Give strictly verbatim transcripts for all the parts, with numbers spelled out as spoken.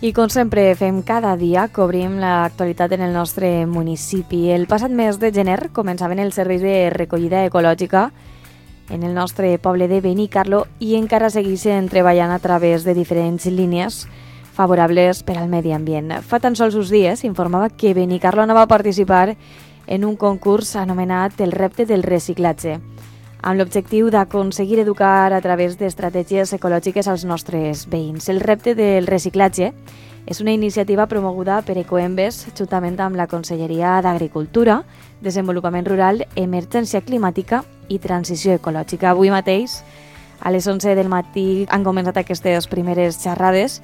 I com sempre fem cada dia, cobrim l'actualitat en el nostre municipi. El passat mes de gener començaven els serveis de recollida ecològica en el nostre poble de Benicarló i encara segueixen treballant a través de diferents línies favorables per al medi ambient. Fa tan sols uns dies s'informava que Benicarló anava a participar en un concurs anomenat el repte del reciclatge, amb l'objectiu d'aconseguir educar a través d'estratègies ecològiques als nostres veïns. El repte del reciclatge és una iniciativa promoguda per Ecoembes juntament amb la Conselleria d'Agricultura, Desenvolupament Rural, Emergència Climàtica i Transició Ecològica. Avui mateix, a les onze del matí, han començat aquestes primeres xerrades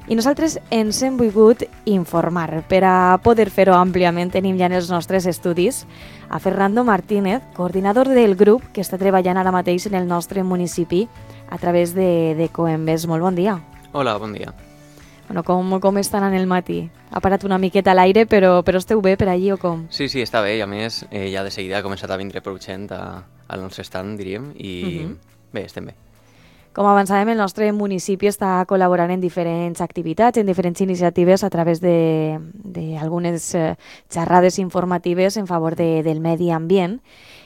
i nosaltres ens hem volgut informar. Per a poder fer-ho àmpliament tenim ja en els nostres estudis a Fernando Martínez, coordinador del grup que està treballant ara mateix en el nostre municipi a través de, de Coembes. Molt bon dia. Hola, bon dia. Bueno, com, com estan en el matí? Ha parat una miqueta a l'aire, però, però esteu bé per allí o com? Sí, sí, està bé, i a més eh, ja de seguida ha començat a vindre prou gent a, al nostre stand, diríem, i uh-huh. bé, estem bé. Com avançàvem, el nostre municipi està col·laborant en diferents activitats, en diferents iniciatives a través d'algunes eh, xerrades informatives en favor de, del medi ambient.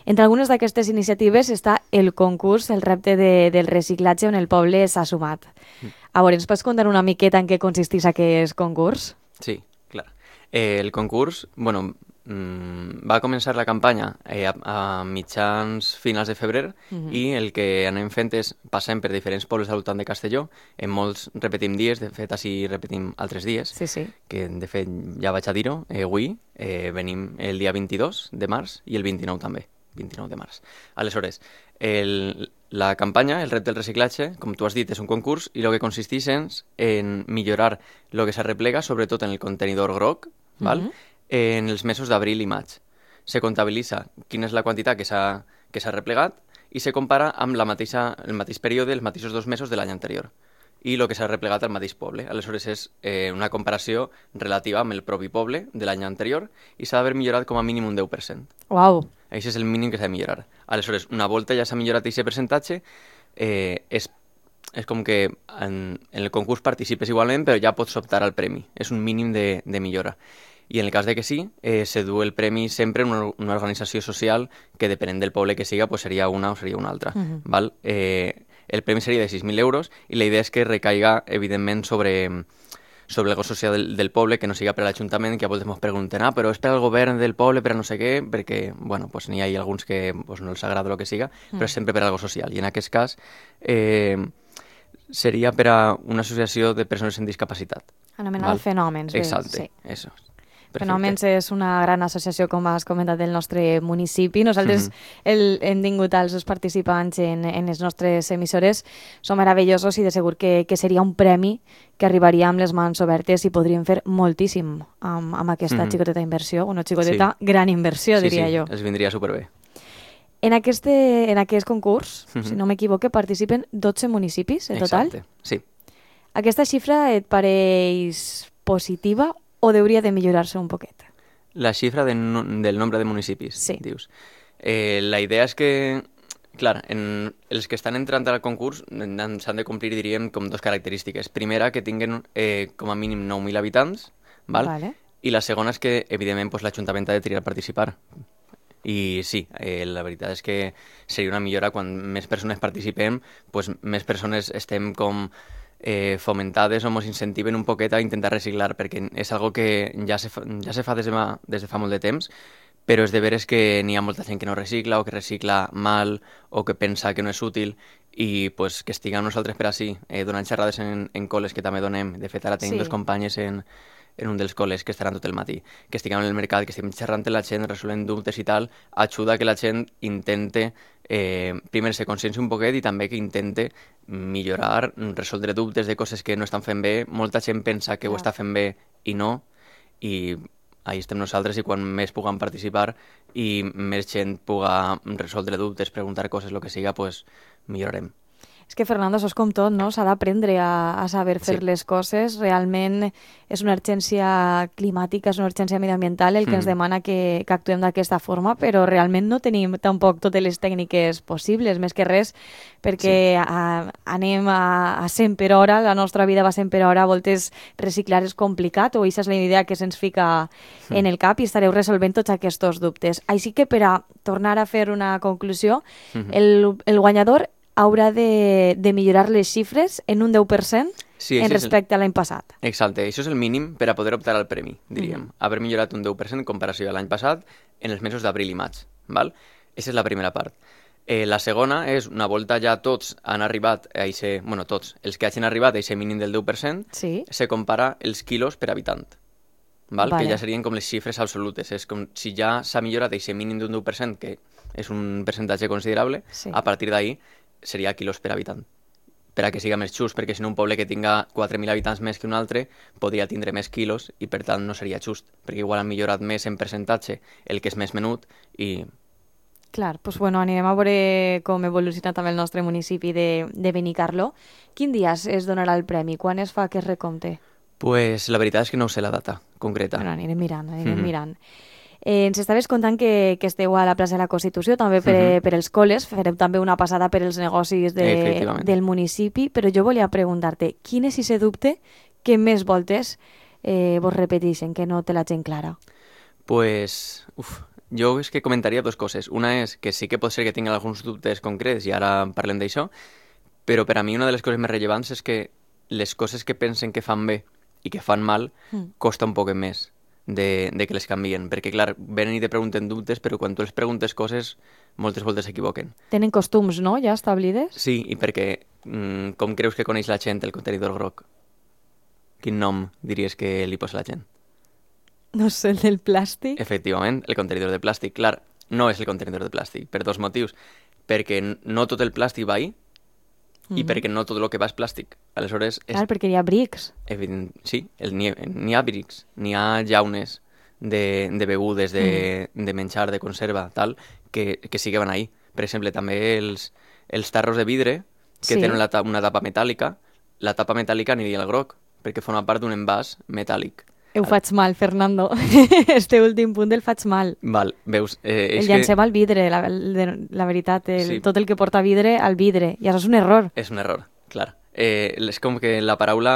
Entre algunes d'aquestes iniciatives està el concurs, el repte de, del reciclatge on el poble s'ha sumat. Mm. A veure, ens pots contar una miqueta en què consisteix aquest concurs? Sí, clar. Eh, el concurs, bueno, mmm, va començar la campanya eh, a, a mitjans finals de febrer uh-huh. i el que anem fent és passem per diferents pobles al voltant de Castelló. En molts repetim dies, de fet així repetim altres dies, sí, sí. que de fet ja vaig a dir-ho, eh, avui eh, venim el dia vint-i-dos de març i el vint-i-nou també. vint-i-nou de març. Aleshores, el, la campanya, el repte del reciclatge, com tu has dit, és un concurs i el que consisteix en millorar el que s'arreplega, sobretot en el contenidor groc, uh-huh. val? En els mesos d'abril i maig. Se comptabilitza quina és la quantitat que s'ha que s'ha replegat i se compara amb la mateixa, el mateix període, els mateixos dos mesos de l'any anterior i el que s'ha replegat al mateix poble. Aleshores és eh, una comparació relativa amb el propi poble de l'any anterior i s'ha d'haver millorat com a mínim un deu per cent. Uau! Això és el mínim que s'ha de millorar. Aleshores, una volta ja s'ha millorat aquest percentatge, eh, és, és com que en, en el concurs participes igualment, però ja pots optar al premi. És un mínim de, de millora. I en el cas de que sí, eh, se du el premi sempre en una, una organització social que, depenent del poble que siga, pues seria una o seria una altra. Uh-huh. Val? Eh, el premi seria de sis mil euros i la idea és que recaiga, evidentment, sobre... sobre el gost social del, del poble, que no siga per l'Ajuntament, que a voltes ens pregunten, ah, però és per al govern del poble, per a no sé què, perquè, bueno, pues n'hi ha alguns que pues, no els agrada el que siga, mm. però és sempre per algo social. I en aquest cas eh, seria per a una associació de persones amb discapacitat. Anomenada Fenòmens. Exacte, sí. eso. Perfecte. Fenòmens és una gran associació, com has comentat, del nostre municipi. Nosaltres mm-hmm. el, hem tingut els participants en, en les nostres emissores. Són meravellosos i de segur que, que seria un premi que arribaria amb les mans obertes i podríem fer moltíssim amb, amb aquesta mm-hmm. xicoteta inversió. Una xicoteta sí. gran inversió, sí, diria sí. jo. Els vindria superbé. En, este, en aquest concurs, mm-hmm. si no m'equivoque, participen dotze municipis en total. Exacte, sí. Aquesta xifra et pareix positiva o hauria de millorar-se un poquet? La xifra de no, del nombre de municipis, sí. dius. Eh, la idea és que, clar, en els que estan entrant al concurs s'han de complir, diríem, com dues característiques. Primera, que tinguen eh, com a mínim nou mil habitants, val? Vale. I la segona és que, evidentment, pues, l'Ajuntament ha de triar participar. I sí, eh, la veritat és que seria una millora quan més persones participem, pues, més persones estem com... Eh, fomentades o ens incentiven un poquet a intentar reciclar, perquè és algo que ja se fa, ja se fa des, de, des de fa molt de temps, però és de veres que n'hi ha molta gent que no recicla o que recicla mal o que pensa que no és útil i pues, que estiguem nosaltres per així, eh, donant xerrades en, en col·les que també donem. De fet, ara tenim sí. dos companyes en, en un dels col·les que estaran tot el matí, que estiguem en el mercat, que estiguem xerrant amb la gent, resolent dubtes i tal, ajuda que la gent intente eh, primer ser consciència un poquet i també que intente millorar, resoldre dubtes de coses que no estan fent bé. Molta gent pensa que ho està fent bé i no, i ahí estem nosaltres, i quan més puguem participar i més gent puga resoldre dubtes, preguntar coses, el que siga, pues millorarem. És que, Fernando, això és com tot, no? S'ha d'aprendre a, a saber fer sí. les coses. Realment és una urgència climàtica, és una urgència mediambiental el que mm. ens demana que, que actuem d'aquesta forma, però realment no tenim tampoc totes les tècniques possibles, més que res, perquè sí. a, anem a, a cent per hora, la nostra vida va a cent per hora, a voltes reciclar és complicat, o aquesta és la idea que se'ns fica mm. en el cap i estareu resolvent tots aquests dubtes. Així que, per a tornar a fer una conclusió, mm-hmm. el, el guanyador haurà de, de millorar les xifres en un deu per cent sí, en respecte el... a l'any passat. Exacte, això és el mínim per a poder optar al premi, diríem. Mm. Haver millorat un deu per cent en comparació a l'any passat en els mesos d'abril i maig. Val? Aquesta és la primera part. Eh, la segona és, una volta ja tots han arribat a ese, bueno, tots, els que hagin arribat a aquest mínim del deu per cent, sí. se compara els quilos per habitant. Val? Vale. Que ja serien com les xifres absolutes. És com si ja s'ha millorat aquest mínim d'un deu per cent, que és un percentatge considerable, sí. a partir d'ahí seria quilos per habitant, per a que siga més just, perquè si no un poble que tinga quatre mil habitants més que un altre podria tindre més quilos i per tant no seria just, perquè igual han millorat més en percentatge el que és més menut i... Clar, doncs bueno, anirem a veure com evoluciona també el nostre municipi de, de Benicarló. Quin dia es donarà el premi? Quan es fa aquest recompte? Pues la veritat és que no sé la data concreta. Bueno, anirem mirant, anirem mm-hmm. mirant. Eh, ens estaves contant que, que esteu a la plaça de la Constitució, també per, uh-huh. per els col·les, fareu també una passada per els negocis de, del municipi, però jo volia preguntar-te, quin és aquest dubte que més voltes eh, vos repeteixen, que no té la gent clara? Pues, uf, jo és que comentaria dues coses. Una és que sí que pot ser que tingui alguns dubtes concrets, i ara parlem d'això, però per a mi una de les coses més rellevants és que les coses que pensen que fan bé i que fan mal mm. costa un poc més. De, de que les canvien, perquè clar, venen i te pregunten dubtes, però quan tu els preguntes coses, moltes voltes s'equivoquen. Tenen costums, no?, ja establides? Sí, i perquè mm, com creus que coneix la gent el contenidor groc? Quin nom diries que li posa la gent? No sé, el del plàstic? Efectivament, el contenidor de plàstic. Clar, no és el contenidor de plàstic, per dos motius. Perquè no tot el plàstic va ahí, i mm-hmm. perquè no tot el que va és plàstic. Aleshores... És... Clar, perquè hi ha brics. Evident, sí, el, n'hi, n'hi ha brics, n'hi ha llaunes de, de begudes, de, mm. de menjar, de conserva, tal, que, que sí que van ahí. Per exemple, també els, els tarros de vidre, que sí. tenen la, una tapa metàl·lica, la tapa metàl·lica aniria al groc, perquè forma part d'un envàs metàl·lic. Ho faig mal, Fernando. Este últim punt el faig mal. Val, veus... Eh, el llancem que... al vidre, la, la veritat. El, sí. Tot el que porta vidre, al vidre. I això és un error. És un error, clar. Eh, és com que la paraula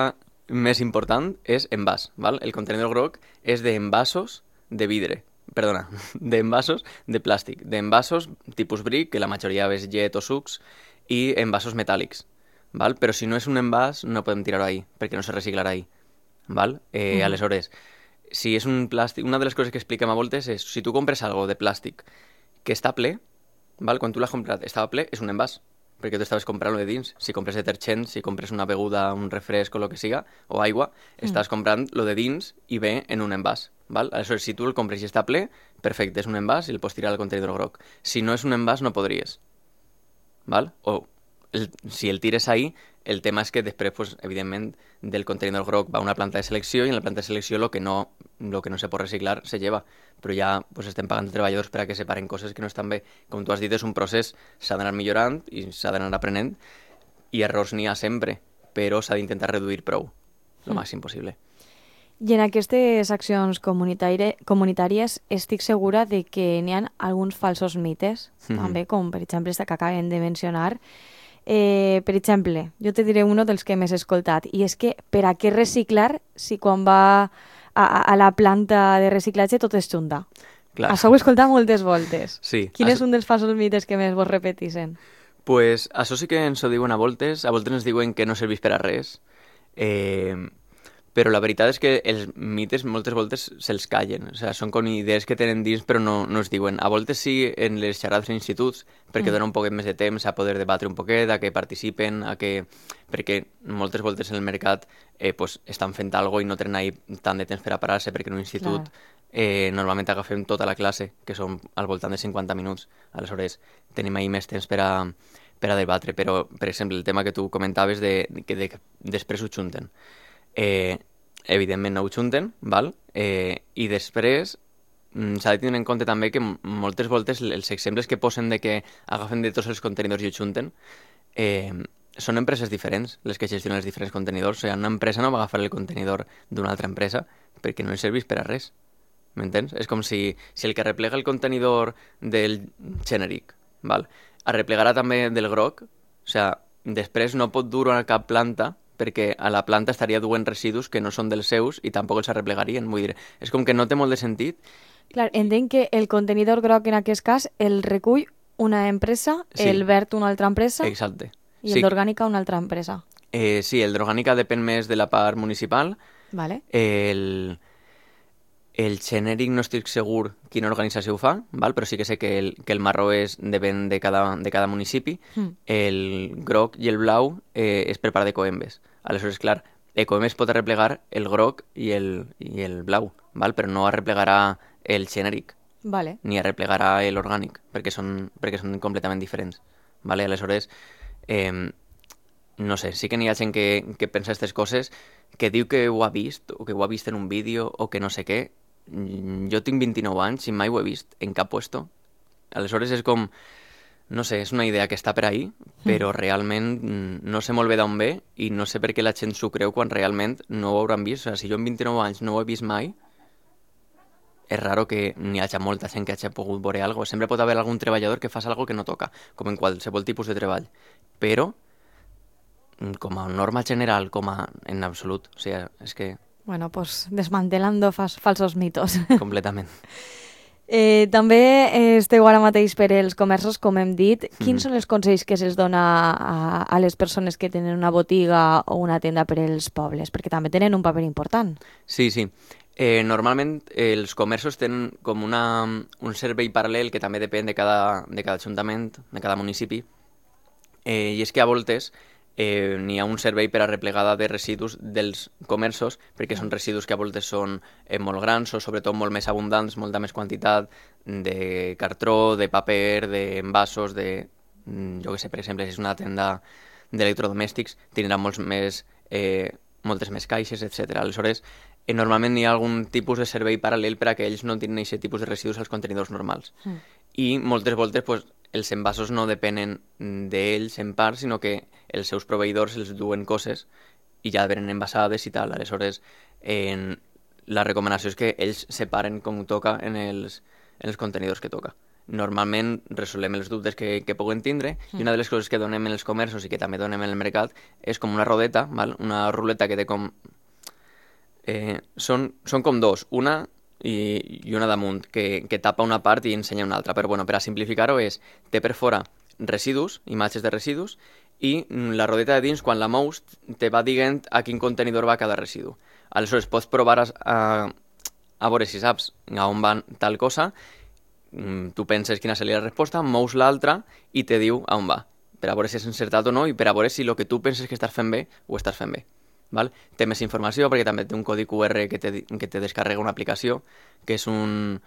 més important és envàs, val? El contenidor groc és d'envasos de vidre. Perdona, d'envasos de plàstic. D'envasos tipus bric, que la majoria és llet o sucs, i envasos metàl·lics, val? Però si no és un envàs, no podem tirar-ho ahí, perquè no se reciclarà ahí. Val? Eh, mm. Aleshores, si és un plàstic... Una de les coses que expliquem a voltes és si tu compres algo de plàstic que està ple, val? Quan tu l'has comprat estava ple, és un envàs, perquè tu estaves comprant-lo de dins. Si compres detergent, si compres una beguda, un refresc o el que siga, o aigua, mm. estàs comprant lo de dins i ve en un envàs. Val? Aleshores, si tu el compres i està ple, perfecte, és un envàs i el pots tirar al contenidor groc. Si no és un envàs, no podries. Val? O el, si el tires ahí, el tema és que després, pues, evidentment, del contenidor groc va a una planta de selecció i en la planta de selecció lo que no, lo que no se pot reciclar se lleva. Però ja pues, estem pagant treballadors per a que separen coses que no estan bé. Com tu has dit, és un procés, s'ha d'anar millorant i s'ha d'anar aprenent i errors n'hi ha sempre, però s'ha d'intentar reduir prou, el mm. màxim possible. I en aquestes accions comunitari- comunitàries estic segura de que n'hi ha alguns falsos mites, mm-hmm. també, com per exemple aquesta que acabem de mencionar. Eh, per exemple, jo te diré un dels que més he escoltat, i és que per a què reciclar si quan va a, a, a la planta de reciclatge tot es junta? Clar. Això ho he escoltat moltes voltes. Sí. Quin això... és un dels falsos mites que més vos repeteixen? Pues això sí que ens ho diuen a voltes, a voltes ens diuen que no serveix per a res, eh, però la veritat és que els mites moltes voltes se'ls callen, o sigui, són com idees que tenen dins però no, no es diuen. A voltes sí en les xerrades en instituts, perquè mm. dona un poquet més de temps a poder debatre un poquet, a que participen, a que... perquè moltes voltes en el mercat eh, pues, estan fent alguna cosa i no tenen ahí tant de temps per a parar-se, perquè en un institut eh, normalment agafem tota la classe, que són al voltant de cinquanta minuts, aleshores tenim ahí més temps per a, per a debatre, però per exemple el tema que tu comentaves de, que de, després ho junten. Eh, evidentment no ho junten, val? Eh, i després mm, s'ha de tenir en compte també que moltes voltes els exemples que posen de que agafen de tots els contenidors i ho junten, eh, són empreses diferents les que gestionen els diferents contenidors. O sigui, una empresa no va agafar el contenidor d'una altra empresa perquè no li serveix per a res. M'entens? És com si, si el que arreplega el contenidor del genèric, val? Arreplegarà també del groc, o sigui, després no pot dur a cap planta perquè a la planta estaria duent residus que no són dels seus i tampoc els arreplegarien. Vull dir, és com que no té molt de sentit. Clar, entenc que el contenidor groc en aquest cas el recull una empresa, Sí. el verd una altra empresa Exacte. i el Sí, d'orgànica una altra empresa. eh, sí, el d'orgànica depèn més de la part municipal. Vale? El, el genèric no estic segur quina organització ho fa, val? Però sí que sé que el, que el marró és, depèn de cada, de cada municipi. Mm. El groc i el blau eh, és per part d'Ecoembes. Aleshores, clar, Ecoembes pot arreplegar el groc i el, i el blau, val? Però no arreplegarà el genèric Vale. ni arreplegarà l'orgànic, perquè són, perquè són completament diferents. Vale? Aleshores, eh, no sé, sí que n'hi ha gent que, que pensa aquestes coses, que diu que ho ha vist, o que ho ha vist en un vídeo, o que no sé què. Mm, Jo tinc vint-i-nou anys i mai ho he vist en cap puesto. Aleshores és com, no sé, és una idea que està per ahí, però realment mm, no sé molt bé d'on ve i no sé per què la gent s'ho creu quan realment no ho hauran vist. O sigui, si jo en vint-i-nou anys no ho he vist mai, és raro que n'hi hagi molta gent que hagi pogut veure alguna cosa. Sempre pot haver algun treballador que fas alguna que no toca, com en qualsevol tipus de treball. Però, mm, com a norma general, com a en absolut, o sigui, és que Bueno, pues desmantelando fas, falsos mitos. completament. Eh, també eh, esteu ara mateix per els comerços, com hem dit. Quins Mhm. són els consells que se'ls dona a, a les persones que tenen una botiga o una tenda per als pobles? Perquè també tenen un paper important. Sí, sí. Eh, normalment eh, els comerços tenen com una, un servei paral·lel que també depèn de cada, de cada ajuntament, de cada municipi, eh, i és que a voltes eh, n'hi ha un servei per a replegada de residus dels comerços, perquè són residus que a voltes són eh, molt grans o sobretot molt més abundants, molta més quantitat de cartró, de paper, d'envasos, de... mm, jo què sé, per exemple, si és una tenda d'electrodomèstics, tindrà molts més, eh, moltes més caixes, etcètera. Aleshores, eh, normalment hi ha algun tipus de servei paral·lel per a que ells no tinguin aquest tipus de residus als contenidors normals. Mm. I moltes voltes pues, els envasos no depenen d'ells en part, sinó que els seus proveïdors els duen coses i ja venen envasades i tal. Aleshores, en... la recomanació és que ells separen com toca en els, en els contenidors que toca. Normalment resolem els dubtes que, que puguen tindre mm. i una de les coses que donem en els comerços i que també donem en el mercat és com una rodeta, val? Una ruleta que té com... Eh, són, són com dos, una i, i una damunt, que, que tapa una part i ensenya una altra. Però bueno, per a simplificar-ho és, té per fora residus, imatges de residus, i la rodeta de dins, quan la mous, te va dient a quin contenidor va cada residu. Aleshores, pots provar a, a, a veure si saps a on va tal cosa, tu penses quina seria la resposta, mous l'altra i te diu a on va, per a veure si és encertat o no i per a veure si el que tu penses que estàs fent bé ho estàs fent bé. Val? Té més informació perquè també té un codi Q R que te, que te descarrega una aplicació que és un...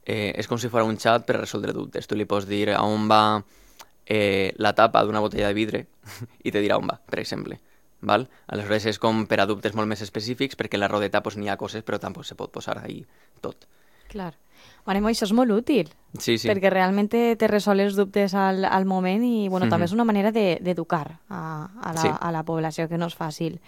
Eh, és com si fos un xat per a resoldre dubtes. Tu li pots dir a on va eh, la tapa d'una botella de vidre i te dirà on va, per exemple. Val? Aleshores és com per a dubtes molt més específics perquè en la rodeta pues, n'hi ha coses però tampoc se pot posar ahí tot. Clar. Bueno, això és molt útil, Sí, sí. perquè realment te, te resol els dubtes al, al moment i bueno, Mhm. també és una manera d'educar a, a, la, Sí. a la població, que no és fàcil.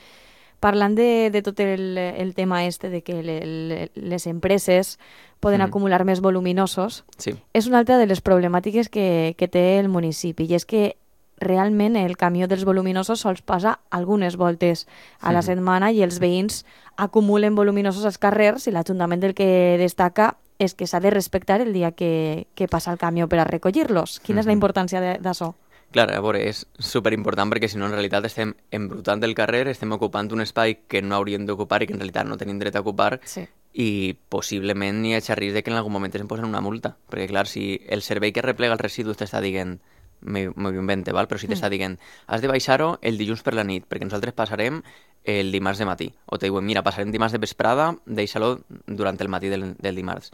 Parlant de, de tot el, el tema este de que le, le, les empreses poden Mhm. acumular més voluminosos, Sí. és una altra de les problemàtiques que, que té el municipi, i és que realment el camió dels voluminosos sols passa algunes voltes a la Mhm. setmana i els veïns acumulen voluminosos als carrers i l'Ajuntament del que destaca és que s'ha de respectar el dia que, que passa el camió per a recollir-los. Quina és la Mhm. importància de- d'això? Clar, a veure, és superimportant perquè si no en realitat estem embrutant el carrer, estem ocupant un espai que no hauríem d'ocupar i que en realitat no tenim dret a ocupar Sí. i possiblement n'hi hagi risc de que en algun moment ens posen una multa. Perquè clar, si el servei que replega els residus t'està dient, m'ho m'ho invente, val? Però si t'està dient has de baixar-ho el dilluns per la nit perquè nosaltres passarem el dimarts de matí. O te diuen, mira, passarem dimarts de vesprada, deixa-lo durant el matí del, del dimarts.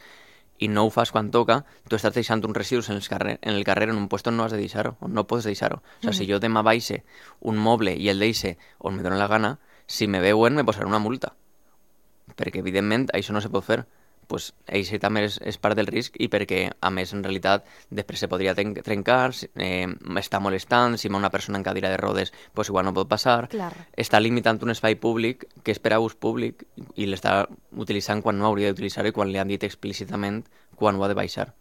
I no ho fas quan toca, tu estàs deixant uns residus en el carrer en, el carrer, en un lloc on no has de deixar-ho, on no pots deixar-ho. O sigui, si jo demà baixe un moble i el deixe on me dóna la gana, si me veuen me posaran una multa. Perquè, evidentment, això no se pot fer. pues, això també és, és part del risc i perquè, a més, en realitat, després se podria ten- trencar, eh, està molestant, si hi ha una persona en cadira de rodes, pues, igual no pot passar. Clar. Està limitant un espai públic que és per a ús públic i l'està utilitzant quan no hauria d'utilitzar i quan li han dit explícitament quan ho ha de baixar.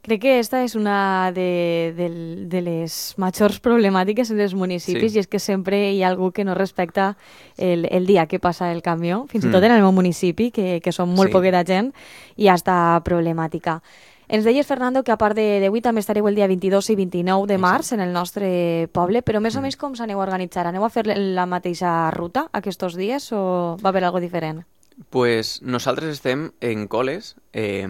Crec que esta és una de, de, de les majors problemàtiques en els municipis Sí. i és que sempre hi ha algú que no respecta el, el dia que passa el camió, fins i Mm. tot en el meu municipi, que, que som molt Sí. poqueta gent, hi ha esta problemàtica. Ens deies, Fernando, que a part de- d'avui també estareu el dia vint-i-dos i vint-i-nou de març en el nostre poble, però més o menys com s'aneu a organitzar? Aneu a fer la mateixa ruta aquests dies o va haver algo diferent? Pues nosaltres estem en col·les, eh,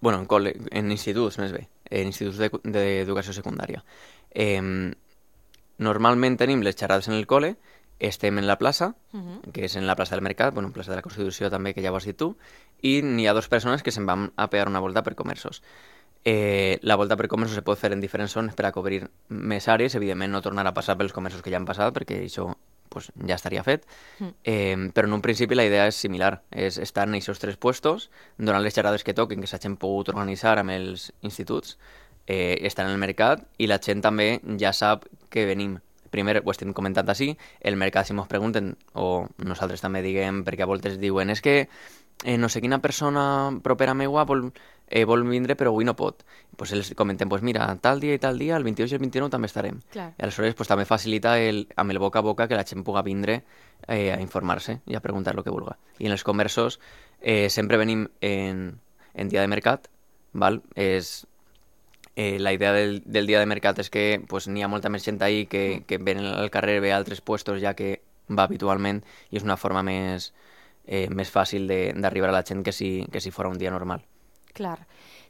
bueno, en, col·le, en instituts més bé, en instituts de- d'educació secundària. Eh, normalment tenim les xerrades en el col·le, estem en la plaça, Uh que és en la plaça del Mercat, bueno, plaça de la Constitució també, que ja ho has dit tu, i n'hi ha dues persones que se'n van a pegar una volta per comerços. Eh, la volta per comerços se pot fer en diferents zones per a cobrir més àrees, evidentment no tornar a passar pels comerços que ja han passat, perquè això pues, ja estaria fet, eh, però en un principi la idea és similar, és estar en aquests tres puestos, donant les xerrades que toquen, que s'hagin pogut organitzar amb els instituts, eh, estar en el mercat, i la gent també ja sap que venim. Primer, ho estem comentant així, el mercat si mos pregunten, o nosaltres també diguem, perquè a voltes diuen, és que eh, no sé quina persona propera meua vol, eh, vol vindre però avui no pot. Pues els comentem, pues mira, tal dia i tal dia, el vint-i-dos i el vint-i-nou també estarem. Clar. I aleshores pues, també facilita el, amb el boca a boca que la gent puga vindre eh, a informar-se i a preguntar el que vulga. I en els comerços eh, sempre venim en, en dia de mercat, val? És, eh, la idea del, del dia de mercat és que pues, n'hi ha molta més gent ahí que, que ven al carrer, ve a altres puestos ja que va habitualment i és una forma més, eh, més fàcil de- d'arribar a la gent que si, que si fora un dia normal. Clar.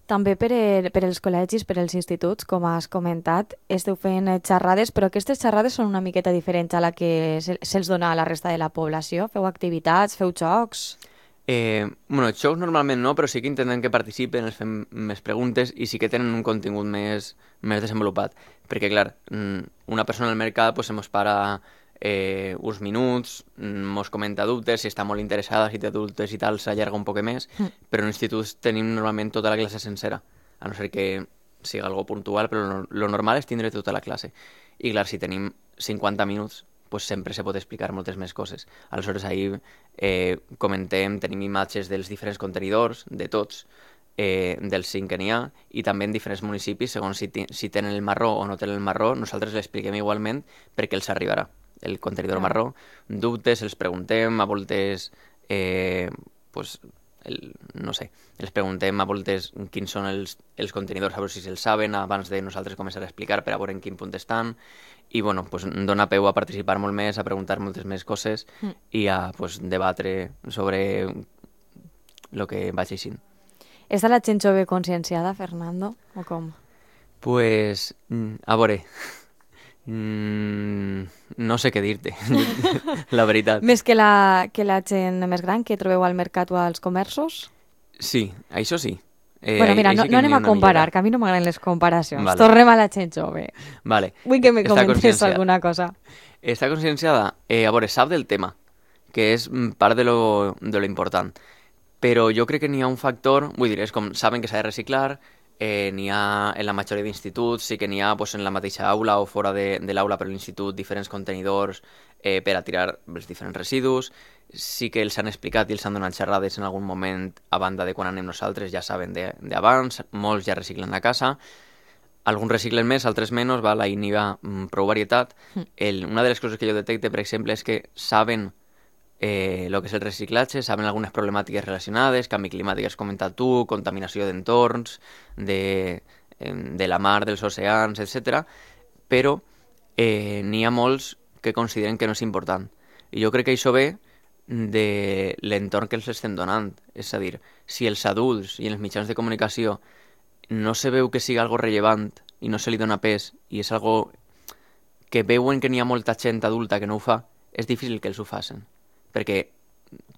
També per, el, per els col·legis, per als instituts, com has comentat, esteu fent eh, xerrades, però aquestes xerrades són una miqueta diferents a la que se- se'ls dona a la resta de la població. Feu activitats, feu jocs... Eh, bueno, xocs normalment no, però sí que intentem que participen, els fem més preguntes i sí que tenen un contingut més, més desenvolupat. Perquè, clar, mm, una persona al mercat pues, se mos para eh, uns minuts, mm, mos comenta dubtes, si està molt interessada, si té dubtes i tal, s'allarga un poc més, Mm. però en instituts tenim normalment tota la classe sencera, a no ser que siga algo puntual, però lo, lo normal és tindre tota la classe. I clar, si tenim cinquanta minuts, pues sempre se pot explicar moltes més coses. Aleshores, ahir eh, comentem, tenim imatges dels diferents contenidors, de tots, eh, dels cinc que n'hi ha, i també en diferents municipis, segons si, ti- si tenen el marró o no tenen el marró, nosaltres l'expliquem igualment perquè els arribarà el contenidor Clar. marró. Dubtes, els preguntem, a voltes, eh, pues, el, no sé, els preguntem a voltes quins són els, els contenidors, a veure si se'ls saben abans de nosaltres començar a explicar per a veure en quin punt estan, i bueno, pues, dona peu a participar molt més, a preguntar moltes més coses Mm. i a pues, debatre sobre el que vaig eixint. Està la gent jove conscienciada, Fernando, o com? Pues, mm, a veure, mm, no sé què dir-te, la veritat. Més que la, que la gent més gran que trobeu al mercat o als comerços? Sí, això sí. Eh, bueno, mira, ahí no, sí que no n'hi anem ha a una comparar, millora. que a mi no m'agraden les comparacions. Vale. Tornem a la gent jove. Vale. Vull que me Està comentes conscienciada. alguna cosa. Està conscienciada? Eh, a veure, sap del tema, que és mm, part de lo, de lo important. Però jo crec que n'hi ha un factor, vull dir, és com saben que s'ha de reciclar, eh, n'hi ha en la majoria d'instituts, sí que n'hi ha pues, en la mateixa aula o fora de, de l'aula per l'institut diferents contenidors eh, per a tirar els diferents residus, sí que els han explicat i els han donat xerrades en algun moment a banda de quan anem nosaltres, ja saben de- d'abans, molts ja reciclen a casa, alguns reciclen més, altres menys, val? Ahir n'hi ha mm, prou varietat. El, una de les coses que jo detecte, per exemple, és que saben eh, lo que és el reciclatge, saben algunes problemàtiques relacionades, canvi climàtic has comentat tu, contaminació d'entorns, de, eh, de la mar, dels oceans, etcètera. Però eh, n'hi ha molts que consideren que no és important. I jo crec que això ve de l'entorn que els estem donant. És a dir, si els adults i els mitjans de comunicació no se veu que sigui algo rellevant i no se li dona pes i és algo que veuen que n'hi ha molta gent adulta que no ho fa, és difícil que els ho facin. Perquè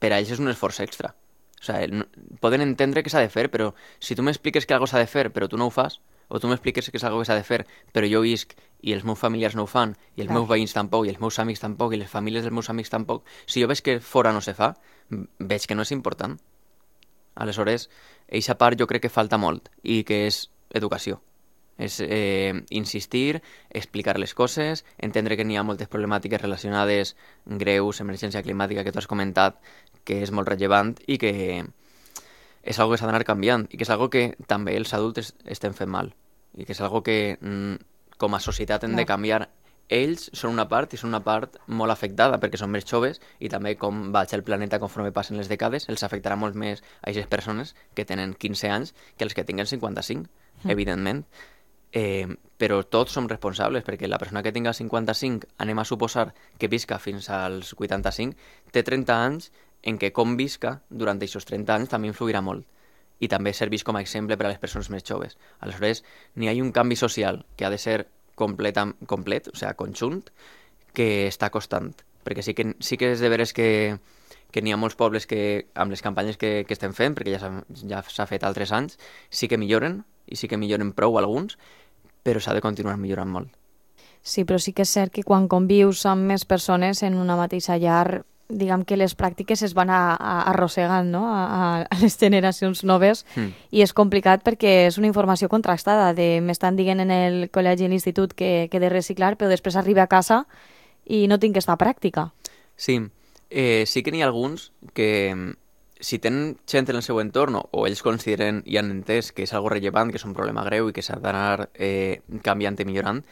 per a ells és un esforç extra. O sigui, no, poden entendre que s'ha de fer, però si tu m'expliques que algo s'ha de fer però tu no ho fas, o tu m'expliques que és algo que s'ha de fer però jo visc i els meus familiars no ho fan, i els Clar. meus veïns tampoc, i els meus amics tampoc, i les famílies dels meus amics tampoc, si jo veig que fora no se fa, veig que no és important. Aleshores, eixa part jo crec que falta molt i que és educació. És eh, insistir, explicar les coses, entendre que n'hi ha moltes problemàtiques relacionades greus, emergència climàtica que tu has comentat, que és molt rellevant i que és algo que s'ha d'anar canviant i que és algo que també els adults estem fent mal i que és algo que mm, com a societat hem de canviar. Ells són una part i són una part molt afectada perquè són més joves i també com vaig el planeta conforme passen les dècades els afectarà molt més a aquestes persones que tenen quinze anys que els que tinguen cinquanta-cinc, mm. evidentment. Eh, però tots som responsables perquè la persona que tinga cinquanta-cinc, anem a suposar que visca fins als vuitanta-cinc, té trenta anys en què com visca durant aquests trenta anys també influirà molt i també serveix com a exemple per a les persones més joves. Aleshores, n'hi ha un canvi social que ha de ser complet, complet, o sigui, conjunt, que està costant. Perquè sí que, sí que és de veres que, que n'hi ha molts pobles que, amb les campanyes que, que estem fent, perquè ja s'ha ja s'ha fet altres anys, sí que milloren, i sí que milloren prou alguns, però s'ha de continuar millorant molt. Sí, però sí que és cert que quan convius amb més persones en una mateixa llar, diguem que les pràctiques es van a, a, arrossegant, no? a, a les generacions noves mm. i és complicat perquè és una informació contrastada de m'estan dient en el col·legi i l'institut que, que he de reciclar, però després arriba a casa i no tinc aquesta pràctica. Sí, eh, sí que n'hi ha alguns que si tenen gent en el seu entorn o ells consideren i han entès que és algo rellevant, que és un problema greu i que s'ha d'anar eh, canviant i millorant,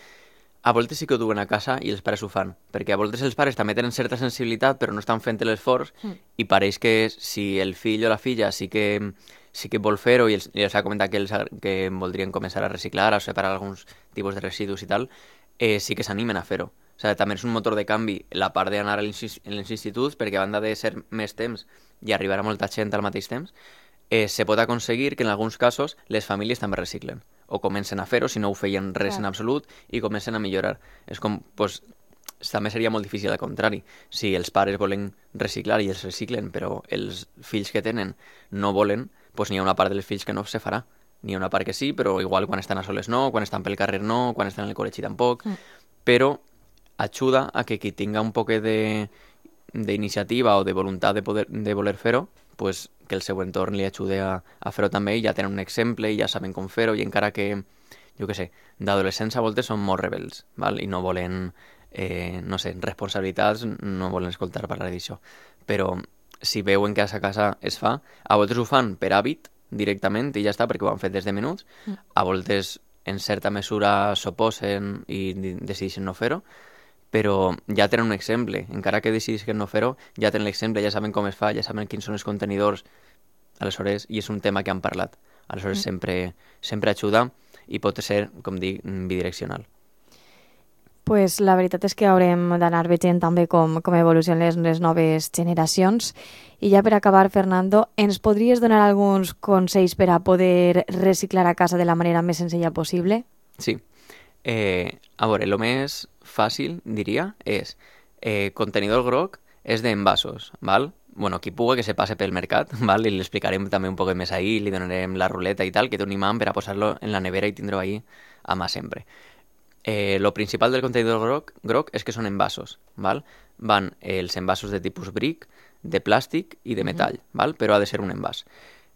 a voltes sí que ho duen a casa i els pares ho fan, perquè a voltes els pares també tenen certa sensibilitat però no estan fent l'esforç mm. i pareix que si el fill o la filla sí que, sí que vol fer-ho i els, i els ha comentat que, els, que voldrien començar a reciclar, a separar alguns tipus de residus i tal, eh, sí que s'animen a fer-ho. O sigui, també és un motor de canvi la part d'anar als instituts perquè a banda de ser més temps i arribar a molta gent al mateix temps, eh, se pot aconseguir que en alguns casos les famílies també reciclen o comencen a fer-ho, si no ho feien res Clar. En absolut, i comencen a millorar. És com, doncs, també seria molt difícil al contrari. Si els pares volen reciclar i els reciclen, però els fills que tenen no volen, doncs n'hi ha una part dels fills que no se farà. N'hi ha una part que sí, però igual quan estan a soles no, quan estan pel carrer no, quan estan en el col·legi tampoc. Mm. Però ajuda a que qui tinga un poc d'iniciativa o de voluntat de, poder, de voler fer-ho, pues, que el seu entorn li ajude a, a fer-ho també i ja tenen un exemple i ja saben com fer-ho i encara que, jo què sé, d'adolescents a voltes són molt rebels, val? I no volen, eh, no sé, responsabilitats, no volen escoltar parlar d'això. Però si veuen que a sa casa es fa, a voltes ho fan per hàbit directament i ja està, perquè ho han fet des de menuts, mm. a voltes en certa mesura s'oposen i decideixen no fer-ho, però ja tenen un exemple. Encara que decidisquen no fer-ho, ja tenen l'exemple, ja saben com es fa, ja saben quins són els contenidors. Aleshores, i és un tema que han parlat. Aleshores, mm. sempre, sempre ajuda i pot ser, com dic, bidireccional. Pues la veritat és que haurem d'anar veient també com, com evolucionen les, les noves generacions. I ja per acabar, Fernando, ens podries donar alguns consells per a poder reciclar a casa de la manera més senzilla possible? Sí. Eh, a veure, el més fàcil, diria, és eh, contenidor groc és d'envasos, val? Bueno, qui puga que se passe pel mercat, val? I li explicarem també un poc més ahí, li donarem la ruleta i tal, que té un imant per a posar-lo en la nevera i tindre-ho ahí a mà sempre. Eh, lo principal del contenidor groc, groc és que són envasos, val? Van eh, els envasos de tipus bric, de plàstic i de metall, mm-hmm. val? Però ha de ser un envàs.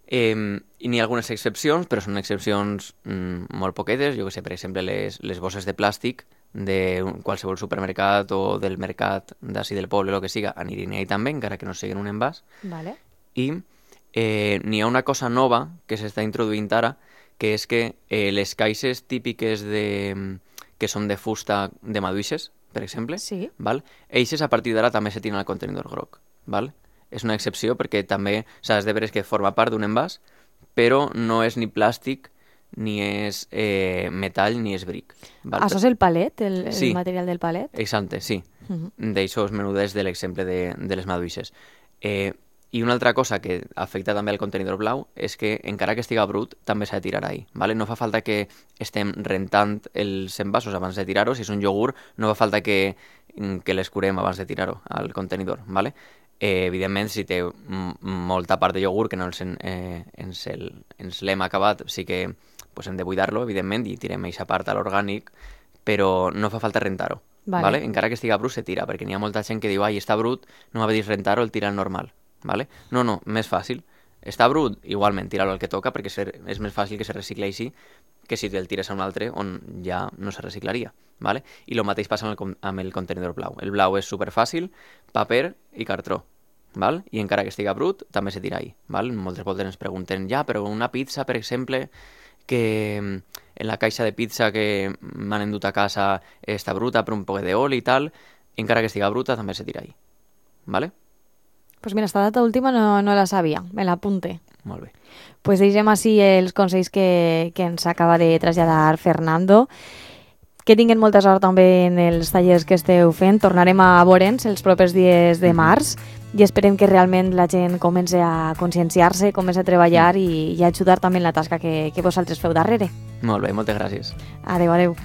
Eh, i n'hi ha algunes excepcions, però són excepcions mm, molt poquetes. Jo que sé, per exemple, les, les bosses de plàstic de qualsevol supermercat o del mercat d'ací del poble, el que siga, anirien ahí també, encara que no siguin un envàs. Vale. I eh, n'hi ha una cosa nova que s'està introduint ara, que és que eh, les caixes típiques de, que són de fusta de maduixes, per exemple, sí. val? Eixes a partir d'ara també se tiren al contenidor groc, val? És una excepció perquè també s'ha de veure que forma part d'un envàs, però no és ni plàstic, ni és eh, metall, ni és bric. Val? Això és el palet, el, el sí. material del palet? Exacte, sí. Uh-huh. D'aixòs menudets de l'exemple de, de les maduixes. Eh, I una altra cosa que afecta també al contenidor blau és que encara que estiga brut també s'ha de tirar ahí. Vale? No fa falta que estem rentant els envasos abans de tirar-ho. Si és un iogurt, no fa falta que, que l'escurem abans de tirar-ho al contenidor. Vale? Eh, evidentment, si té m- molta part de iogurt que no ens, eh, ens, el, ens l'hem acabat, sí que pues, hem de buidar-lo, evidentment, i tirem aquesta part a l'orgànic, però no fa falta rentar-ho. Vale. Vale? Encara que estiga brut, se tira, perquè n'hi ha molta gent que diu ai, està brut, no m'ha de dir rentar-ho, el tira al normal. Vale? No, no, més fàcil. està brut, igualment, tira-lo al que toca, perquè és més fàcil que se recicleixi que si el tires a un altre on ja no se reciclaria. ¿Vale? I el mateix passa amb el, amb el contenidor blau. El blau és superfàcil, paper i cartró. ¿Val? I encara que estiga brut, també se tira ahí. ¿Val? Moltes voltes ens pregunten, ja, però una pizza, per exemple, que en la caixa de pizza que m'han endut a casa està bruta per un poc d'oli i tal, encara que estiga bruta, també se tira ahí. ¿Vale? Pues mira, esta data última no, no la sabia, me l'apunte. Molt bé. Pues deixem així els consells que, que ens acaba de traslladar Fernando. Que tinguin molta sort també en els tallers que esteu fent. Tornarem a veure'ns els propers dies de març i esperem que realment la gent comenci a conscienciar-se, comenci a treballar i, i a ajudar també en la tasca que, que vosaltres feu darrere. Molt bé, moltes gràcies. Adéu, adéu.